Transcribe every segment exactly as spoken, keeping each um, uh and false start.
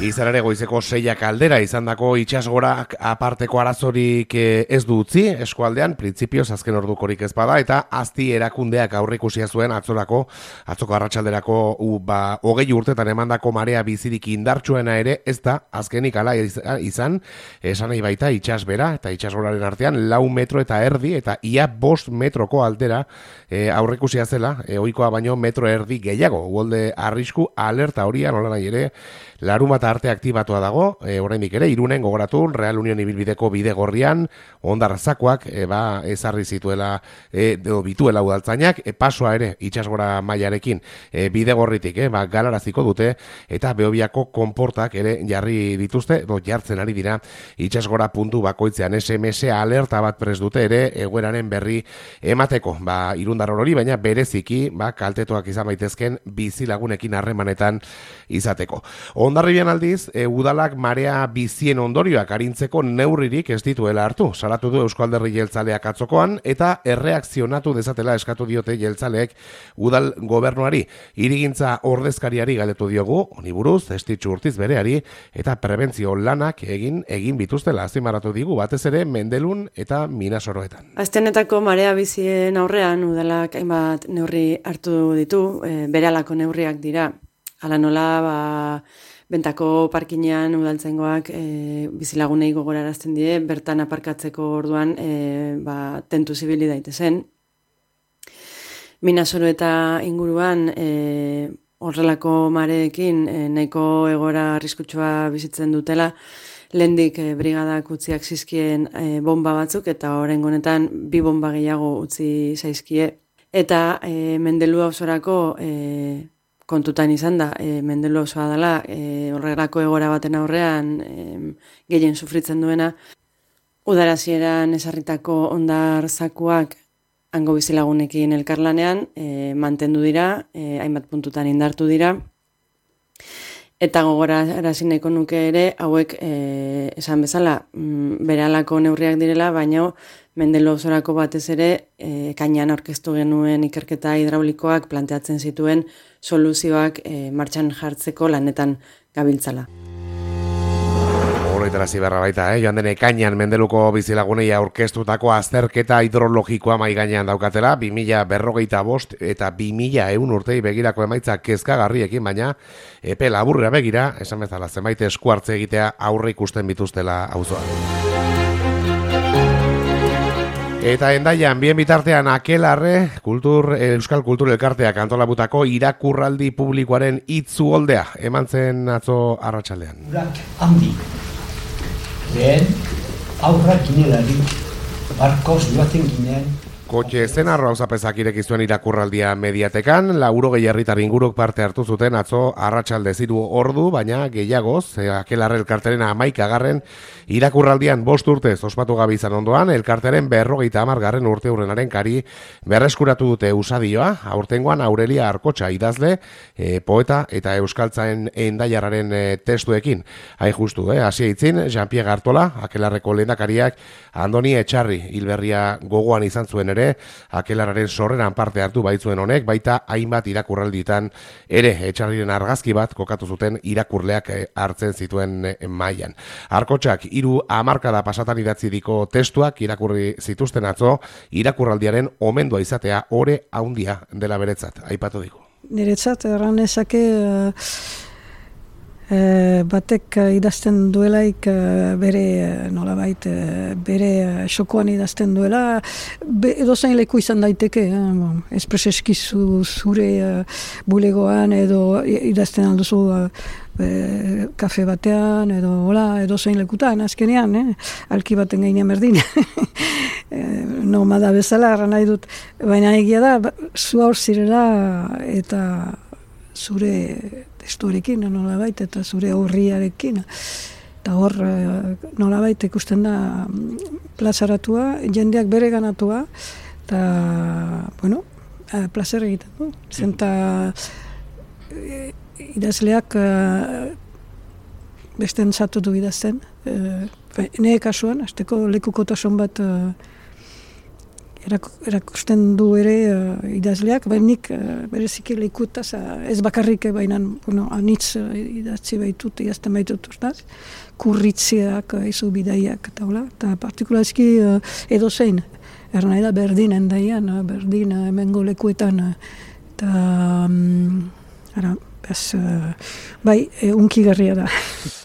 Izan ere goizeko seiak aldera izandako itsasgorak aparteko arazorik ez du utzi eskualdean, printzipioz azken ordukorik ez bada, eta azti erakundeak aurreikusia zuen atzorako, atzoko arratsalderako u, ba, hogei urtetan emandako marea bizirik indartsuena ere ez da azkenik ala izan, esan nahi baita itsasbera eta itsasgoraren artean lau metro eta erdi eta ia bost metroko aldera e, aurreikusia zela, e, ohikoa baino metro erdi gehiago, uholde arrisku alerta horia nola nahi ere, larumata arte aktibatua dago, e, oraindik ere, Irunen gogoratu, Real Union ibilbideko bide gorrian, ondarrazakoak, e, ba, ezarri zituela, e, edo bituela udaltzainak, e, pasoa ere, itsasgora mailarekin, e, bide gorritik, e, ba, galaraziko dute, eta Behobiako konportak ere jarri dituzte, edo jartzen ari dira, itsasgora puntu bakoitzean, S M S alerta bat prest dute ere, egoeraren berri emateko, ba, irundar hori, baina bereziki, ba, kaltetuak izan baitezken, bizilagunekin harremanetan izateko. Hondarribian aldiz, e, udalak marea bizien ondorioak arintzeko neurririk ez dituela hartu. Salatu du Eusko Alderdi Jeltzaleak atzokoan eta erreakzionatu dezatela eskatu diote jeltzaleek udal gobernuari. Hirigintza ordezkariari galdetu diogu, honi buruz, Estitxu Urtiz bereari eta prebentzio lanak egin egin bituztela azpimarratu digu batez ere Mendelun eta Minasoroetan. Astenetako marea bizien aurrean udalak hainbat neurri hartu ditu, e, berehalako neurriak dira. Hala nola, ba, bentako parkinean udaltzaingoak e, bizilagunei gogorarazten die, bertan aparkatzeko orduan e, ba, tentu zibili daitezen. Minasoro eta inguruan e, horrelako mareekin e, nahiko egora arriskutsua bizitzen dutela, lehendik e, brigadak utziak zizkien e, bomba batzuk eta oraingo honetan bi bomba gehiago utzi zaizkie. Eta e, Mendelu ausorako e, kontutan izan da, e, Mendelu osoa dela, e, horrelako egora baten aurrean e, gehien sufritzen duena, udarazieran esarritako ondar zakuak hango bizilagunekin elkarlanean e, mantendu dira, e, hainbat puntutan indartu dira, eta gogorarazi nahiko nuke ere, hauek e, esan bezala, mm, berehalako neurriak direla, baina Mendelu osorako batez ere, e, kainan aurkeztu genuen ikerketa hidraulikoak planteatzen zituen soluzioak e, martxan jartzeko lanetan gabiltzala. Horretarazi beharra baita, eh? Joan den ekainan Mendeluko bizilagunei aurkeztutako azterketa hidrologikoa mai gainean daukatela, bi mila berrogeita bost eta bi mila ehun urtei begirako emaitza kezkagarriekin, baina epe laburra begira, esan bezala zenbait esku hartze egitea aurre ikusten bituztela auzoan. Eta Hendaian, bien bitartean Akelarre, kultur, Euskal Kultur Elkarteak antolabutako irakurraldi publikoaren itzuoldea, eman zen atzo arratsaldean. Urak handi, lehen aurrak ginelari, barkoz joaten ginen. Kotxe zenarro hauzapezak ireki zuen irakurraldia Mediatekan, laurogei herritar inguruk parte hartu zuten atzo arratsalde ziru ordu, baina gehiagoz, Akelarre elkarteren hamaikagarren irakurraldian bost urtez ospatu gabe izan ondoan, elkarteren berrogeita hamargarren urte hurrenaren kari berreskuratu dute usadioa, aurtengoan Aurelia Arkotxa idazle, e, poeta eta euskaltzaen Hendaiarraren e, testuekin. Hain justu, eh? Hasi eitzin, Jean-Pierre Artola, Akelarreko lehendakariak Andoni Etxarri hilberria gogoan izan zuen ere, Akelarraren sorreran parte hartu baitzuen honek, baita hainbat irakurralditan ere Etxarriren argazki bat kokatu zuten irakurleak hartzen zituen mailan. Arkotxak hiru hamarkada pasatan idatzi diko testuak irakurri zituzten atzo, irakurraldiaren omendua izatea ore haundia dela beretzat, aipatu digu. Niretzat erran ezake E, batek idazten duelaik bere nolabait bere xokoan idazten duela be, edozain leku izan daiteke eh? Bon, espreseskizu zure uh, bulegoan edo idazten alduzu uh, e, kafe batean edo hola edozain lekutan azkenean eh? Alki baten gainean berdin nomada bezala erran nahi dut, baina egia da zu haur zirela eta zure testuarekin nolabait eta zure aurriarekin. Eta hor nolabait ikusten da plazaratua, jendeak bere ganatua, eta, bueno, plazer egiten du. Zenta idazleak beste entzatu du idazten. Nire kasuan, azteko lekukotasun bat erakusten du ere uh, idazleak, bainik uh, bereziki lekutaz, uh, ez bakarrik baina bueno, anitz uh, idatzi baitut, idazten baitut urtaz, kurritziak, uh, izu bidaiak, eta hola, eta partikularski uh, edo zein, erna da berdin endaian, uh, berdin uh, emengo lekuetan, uh, eta um, ara, bez, uh, bai, e, unkigarria da.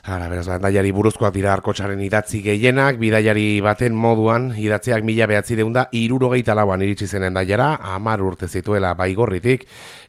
Hala, beraz, endaiari buruzkoak dira Arkotxaren idatzi gehienak, bidaiari baten moduan, idatziak mila behatzi deunda, irurogeita lauan iritsi zen endaiara, hamar urte zituela baigorritik,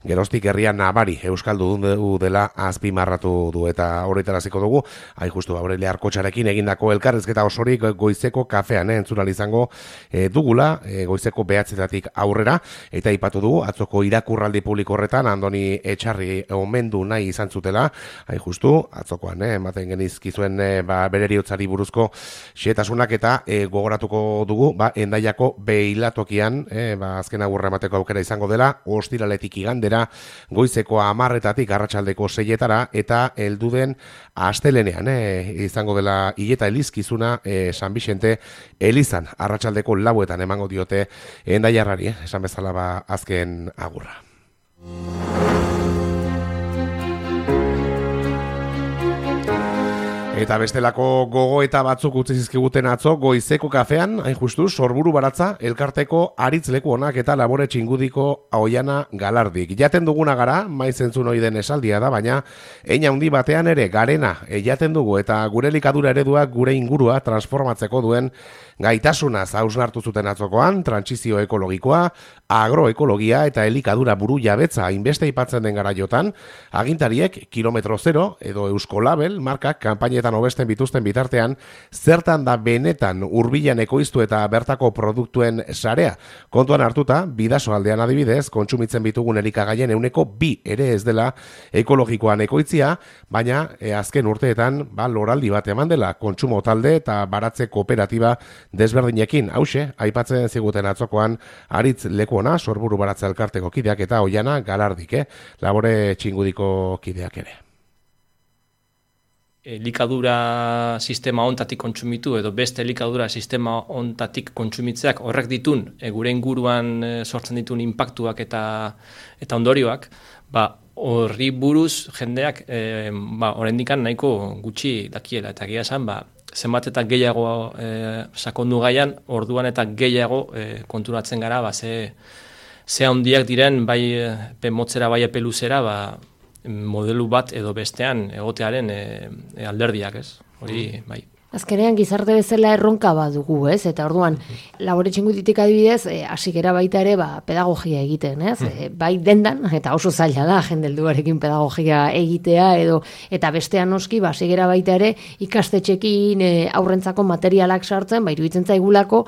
geroztik herrian nabari euskaldu du dela azpimarratu du eta horretaraziko dugu, hain justu Aurelio Arkotxarekin egindako elkarrizketa osorik goizeko kafean, eh, entzunal izango eh, dugula, eh, goizeko behatzetatik aurrera, eta aipatu dugu, atzoko irakurraldi publiko horretan, Andoni Etxarri omendu nahi izan zutela, hain justu, atzokoan, eh, ematen genizkizuen e, ba, bereriotzari buruzko xetasunak eta e, gogoratuko dugu ba, Endaiako beilatokian e, ba, azken agurra emateko aukera izango dela ostiraletik igandera goizeko hamarretatik arratsaldeko seietara eta helduden astelenean e, izango dela hileta elizkizuna e, San Vicente Elizan arratsaldeko lauetan emango diote endaiarrari, eh, esan bezala ba, azken agurra. Eta bestelako gogo eta batzuk utzi zizkiguten atzo goizeko kafean, hain justu, Sorburu Baratza, elkarteko aritzleku onak eta labore txingudiko Oiana Galardik. Jaten duguna gara, maiz entzun ohi den esaldia da, baina hein handi batean ere garena jaten dugu eta gure elikadura ereduak gure ingurua transformatzeko duen gaitasunaz hausnartu zuten atzokoan, trantsizio ekologikoa, agroekologia eta elikadura buru jabetza hainbeste aipatzen den garaiotan, agintariek kilometro zero edo Eusko Label markak kanpainetan hobesten bituzten bitartean, zertan da benetan hurbilan ekoiztu eta bertako produktuen sarea. Kontuan hartuta, Bidaso aldean adibidez, kontsumitzen bitugun elikagaien ehuneko bi ere ez dela ekologikoan ekoitzia, baina e, azken urteetan ba, loraldi bat eman dela kontsumo talde eta baratze kooperatiba desberdinekin, hause, aipatzen ziguten atzokoan aritz lekuona, Sorburu Baratza elkarteko kideak eta Oiana Galardik, eh? Labore txingudiko kideak ere. Elikadura sistema ontatik kontsumitu edo beste elikadura sistema ontatik kontsumitzeak horrek ditun, e, gure inguruan e, sortzen ditun inpaktuak eta eta ondorioak, ba, horri buruz jendeak e, ba, oraindikan nahiko gutxi dakiela eta egia esan, ba, zenbat eta gehiago e, sakondu gaian, orduan eta gehiago e, konturatzen gara, ba, ze, ze handiak diren, bai epe motzera, bai epe luzera, ba, modelu bat edo bestean egotearen e, e, alderdiak, ez? Hori, bai. Azkenean gizarte bezala erronka bat dugu, ez? Eta orduan, labore txinguditik adibidez, e, hasikera baita ere ba, pedagogia egiten, ez? E, bai dendan, eta oso zaila da, jendelduarekin pedagogia egitea, edo eta bestean noski, ba, hasikera baita ere, ikastetxekin e, aurrentzako materialak sartzen, ba, iruditzen zaigulako,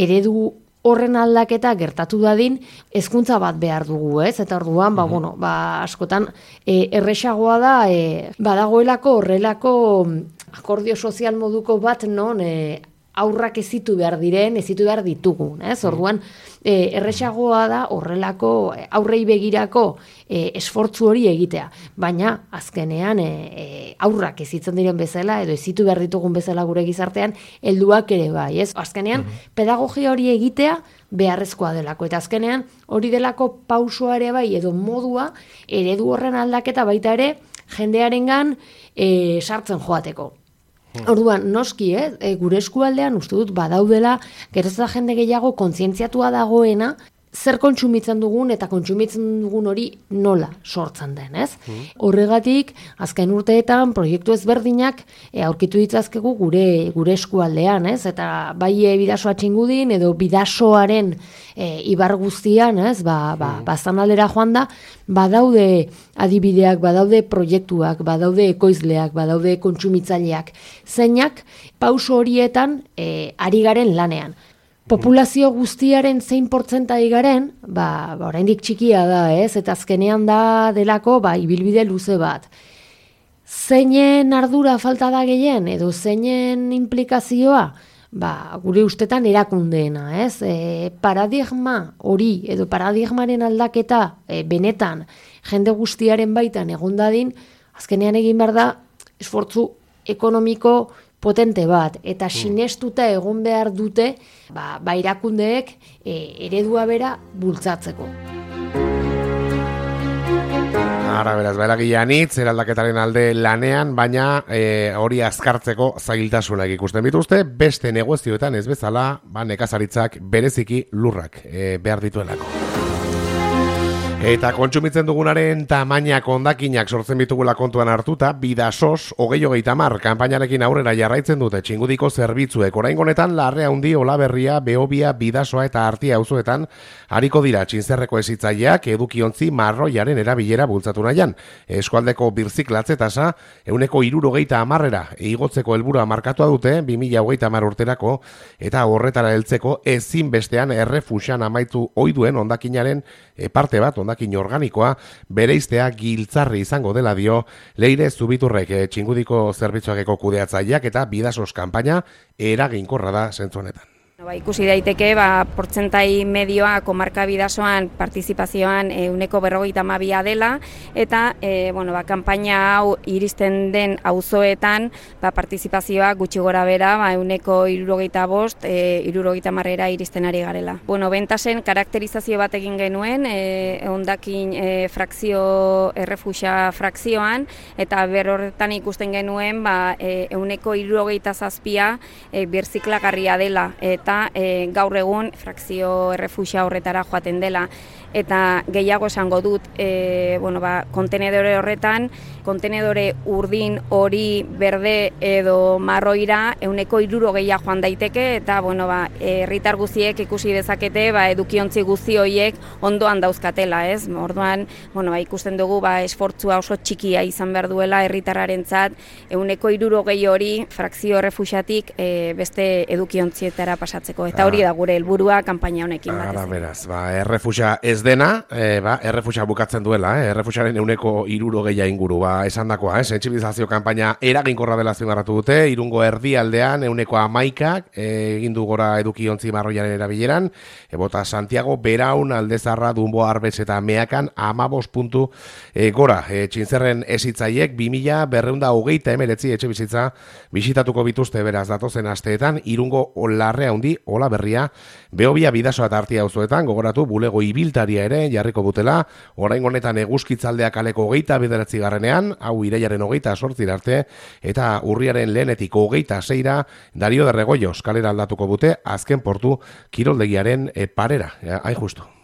eredu horren aldaketa gertatu dadin, hezkuntza bat behar dugu, ez? Eta orduan, ba, bueno, ba, askotan, e, erresagoa da, e, badagoelako horrelako akordio sozial moduko bat non e, aurrak ezitu behar diren, ezitu behar ditugun, ez? Orduan, e, erresagoa da horrelako aurrei begirako e, esfortzu hori egitea. Baina, azkenean, e, e, aurrak ezitzen diren bezala, edo ezitu behar ditugun bezala gure gizartean, helduak ere bai, ez? Azkenean, pedagogia hori egitea beharrezkoa delako. Eta azkenean, hori delako pausoa ere bai, edo modua, eredu horren aldaketa baita ere, jendearengan e, sartzen joateko. Orduan, noski, eh, e, gure eskualdean uste dut badaudela, geroz da jende gehiago kontzientziatua dagoena, zer kontsumitzen dugun eta kontsumitzen dugun hori nola sortzen den, ez? Mm. Horregatik, azken urteetan proiektu ezberdinak e, aurkitu ditzazkegu gure gure eskualdean, ez? Eta bai e, Bidasoa txingudin edo Bidasoaren e, ibar guztian, ez? Ba, ba, mm. bazan aldera joan da, badaude adibideak, badaude proiektuak, badaude ekoizleak, badaude kontsumitzaileak, zeinak pauso horietan e, ari garen lanean. Populazio guztiaren zein portzentai garen, ba, ba oraindik txikia da, ez? Eta azkenean da delako, ba, ibilbide luze bat. Zeinen ardura falta da gehien, edo zeinen implikazioa, ba, gure ustetan erakundeena, ez? E, paradigma hori, edo paradigmaren aldaketa, e, benetan, jende guztiaren baitan egon dadin, azkenean egin behar da, esfortzu ekonomiko, potente bat, eta sinestuta egon behar dute, ba, ba irakundeek e, eredua bera bultzatzeko. Ara, beraz, bairagilean hitz, eraldaketaren alde lanean, baina e, hori azkartzeko zailtasunak ikusten bituzte, beste negozioetan ez bezala, ba, nekazaritzak bereziki lurrak e, behar dituelako. Eta kontsumitzen dugunaren tamainak hondakinak sortzen bitugula kontuan hartuta, Bidasos hogei hogeita hamar kanpainarekin aurrera jarraitzen dute txingudiko zerbitzuek. Oraingo honetan Larrea Handi, Olaberria, Behobia, Bidasoa eta Artia auzoetan hariko dira txinzerreko hezitzaileak edukiontzi marroiaren erabilera bultzatu nahian. Eskualdeko birziklatze tasa ehuneko hirurogeita hamarrera igotzeko helburua markatua dute bi mila hogeita hamar urterako, eta horretara heltzeko ezinbestean errefuxan amaitu ohi duen hondakinaren parte bat, hondakin organikoa, bereiztea giltzarri izango dela dio Leire Zubiturrek, txingudiko zerbitzuakeko kudeatzaileak, eta Bidasos kanpaina eraginkorra da zentzu honetan. Ba, ikusi daiteke, ba, portzentai medioa komarka Bidasoan partizipazioan ehuneko berrogeita hamabia dela, eta e, bueno, ba, kanpaina hau iristen den auzoetan ba, partizipazioa gutxi gora bera ba, ehuneko hirurogeita bost, e, hirurogeita hamarrera iristen ari garela. Bueno, bentasen karakterizazio bat egin genuen, e, hondakin e, frakzio, errefuxa frakzioan, eta berorretan ikusten genuen ba, e, ehuneko hirurogeita zazpia e, birziklagarria dela, eta E, gaur egun frakzio errefuxia horretara joaten dela, eta gehiago esango dut, e, bueno, ba, kontenedore horretan, kontenedore urdin, hori, berde edo marroira ehuneko hirurogeia joan daiteke, eta bueno, ba, herritar guztiek ikusi dezakete ba, edukiontzi guzti horiek ondoan dauzkatela, ez? Orduan, bueno, ba, ikusten dugu ba, esfortzua oso txikia izan behar duela herritarrarentzat ehuneko hirurogei hori frakzio errefuxatik e, beste edukiontzietara pasatzeko, eta hori da gure helburua kanpaina honekin batez. Ara, beraz, ba, errefuxa ez dena, e, ba, errefuxa bukatzen duela, eh? Errefuxaren ehuneko hirurogeia inguru, ba, esandakoa, eh? Sentsibilizazio kanpaina eraginkorra dela azpimarratu dute, Irungo erdialdean ehuneko hamaikak egin du gora edukiontzi marroiaren erabileran, ebota Santiago, Beraun, Aldezarra, Dumbo, Arbes eta Meakan hamabost puntu e, gora. E, txintzerren ezitzaiek bi mila berrehun eta hogeita hemeretzi etxe bizitza bisitatuko bituzte beraz datozen asteetan, Irungo Larrea Handi, Olaberria, Behobia, Bidasoa eta Artia auzoetan, gogoratu bulego ibiltari ere jarriko dutela, orain honetan eguzkitzaldea kaleko hogeita bederatzi garrenean, hau iraiaren hogeita sortzira arte, eta urriaren lehenetik hogeita zeira, Dario de Regoyos kalera aldatuko dute, azken portu kiroldegiaren parera, hain justu.